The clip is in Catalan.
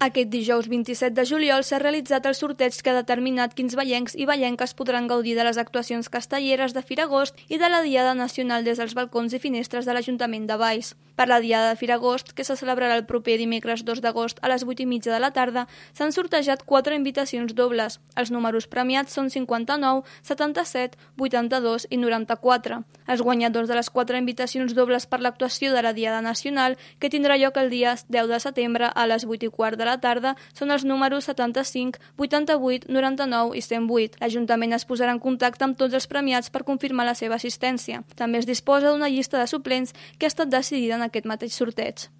Aquest dijous 27 de juliol s'ha realitzat el sorteig que ha determinat quins vallencs i vallenques podran gaudir de les actuacions castelleres de Firagost i de la Diada Nacional des dels balcons i finestres de l'Ajuntament de Valls. Per la Diada de Firagost, que se celebrarà el proper dimecres 2 d'agost a les 8:30 de la tarda, s'han sortejat 4 invitacions dobles. Els números premiats són 59, 77, 82 i 94. Els guanyadors de les 4 invitacions dobles per l'actuació de la Diada Nacional, que tindrà lloc el dia 10 de setembre a les 8:15 de la tarda, són els números 75, 88, 99 i 108. L'Ajuntament es posarà en contacte amb tots els premiats per confirmar la seva assistència. També es disposa d'una llista de suplents que ha estat decidida en aquest mateix sorteig.